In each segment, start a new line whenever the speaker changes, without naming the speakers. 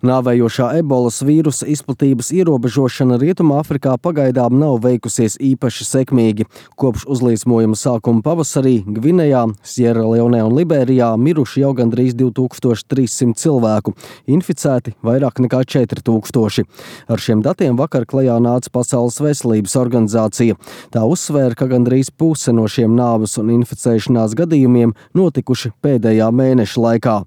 Nāvējošā ebolas vīrusa izplatības ierobežošana Rietumāfrikā pagaidām nav veikusies īpaši sekmīgi. Kopš uzliesmojuma sākuma pavasarī Gvinejā, Sieraleonē un Liberijā miruši jau gandrīz 2300 cilvēku, inficēti vairāk nekā 4000. Ar šiem datiem vakar klajā nāca Pasaules veselības organizācija. Tā uzsvēra, ka gandrīz puse no šiem nāves un inficēšanās gadījumiem notikuši pēdējā mēneša laikā.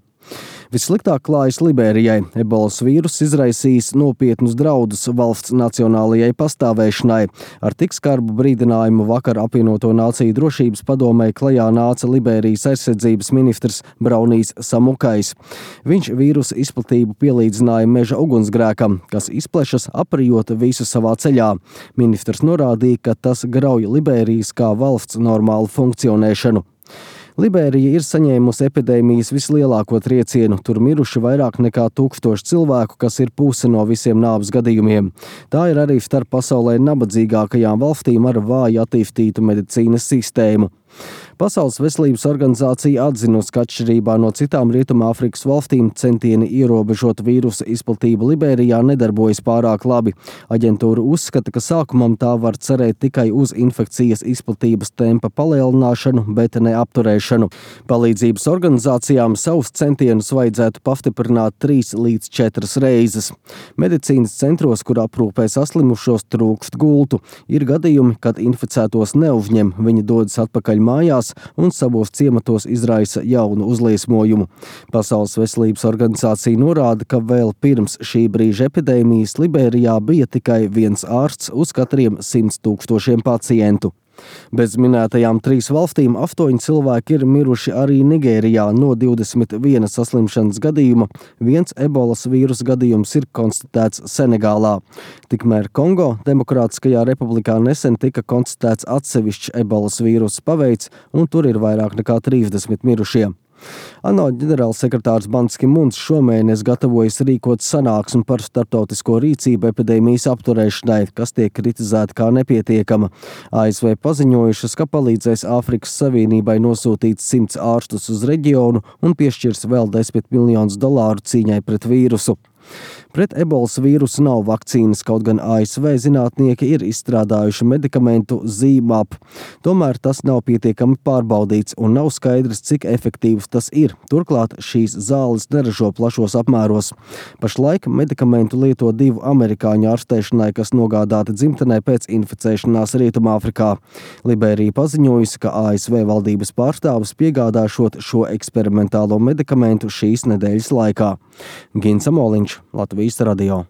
Vissliktāk klājas Liberijai. Ebolas vīrus izraisījis nopietnus draudus valsts nacionālajai pastāvēšanai. Ar tik skarbu brīdinājumu vakar apvienoto nāciju drošības padomē klajā nāca Liberijas aizsardzības ministrs Braunijs Samukais. Viņš vīrusa izplatību pielīdzināja meža ugunsgrēkam, kas izplešas aprijot visu savā ceļā. Ministrs norādīja, ka tas grauj Liberijas kā valsts normālu funkcionēšanu. Liberija ir saņēmusi epidēmijas vislielāko triecienu. Tur miruši vairāk nekā 1000 cilvēku, kas ir puse no visiem nāves gadījumiem. Tā ir arī starp pasaulē nabadzīgākajām valstīm ar vāju attīstītu medicīnas sistēmu. Pasaules veselības organizācija atzinusi, ka atšķirībā no citām Rietumāfrikas valstīm centieni ierobežot vīrusa izplatību Liberijā nedarbojas pārāk labi. Aģentūra uzskata, ka sākumam tā var cerēt tikai uz infekcijas izplatības tempa palielināšanu, bet ne apturēšanu. Palīdzības organizācijām savus centienus vajadzētu pastiprināt 3 līdz 4 reizes. Medicīnas centros, kur aprūpē saslimušos, trūkst gultu. Ir gadījumi, kad inficētos neuzņem, viņi dodas atpakaļ mājās un savos ciematos izraisa jaunu uzliesmojumu. Pasaules veselības organizācija norāda, ka vēl pirms šī brīža epidēmijas Liberijā bija tikai viens ārsts uz katriem 100 000 pacientu. Bez minētajām 3 valstīm 8 cilvēki ir miruši arī Nigērijā no 21 saslimšanas gadījuma. Viens ebolas vīrusa gadījums ir konstatēts Senegālā. Tikmēr Kongo Demokrātiskajā republikā nesen tika konstatēts atsevišķs ebolas vīrusa paveids, un tur ir vairāk nekā 30 mirušie. ANO ģenerālsekretārs Ban Ki-mūns šomēnes gatavojas rīkot sanāksmi par starptautisko rīcību epidēmijas apturēšanai, kas tiek kritizēta kā nepietiekama. ASV paziņojušas, ka palīdzēs Āfrikas Savienībai nosūtīt 100 ārstus uz reģionu un piešķirs vēl $10 miljonus cīņai pret vīrusu. Pret ebolas vīrusu nav vakcīnas, kaut gan ASV zinātnieki ir izstrādājuši medikamentu ZMapp. Tomēr tas nav pietiekami pārbaudīts un nav skaidrs, cik efektīvs tas ir. Turklāt šīs zāles neražo plašos apmēros. Pašlaik medikamentu lieto 2 amerikāņu ārstēšanai, kas nogādāti dzimtenē pēc inficēšanās Rietumāfrikā. Liberija paziņojusi, ka ASV valdības pārstāvis piegādāšot šo eksperimentālo medikamentu šīs nedēļas laikā. Gins Amoliņš, Latvijas radio.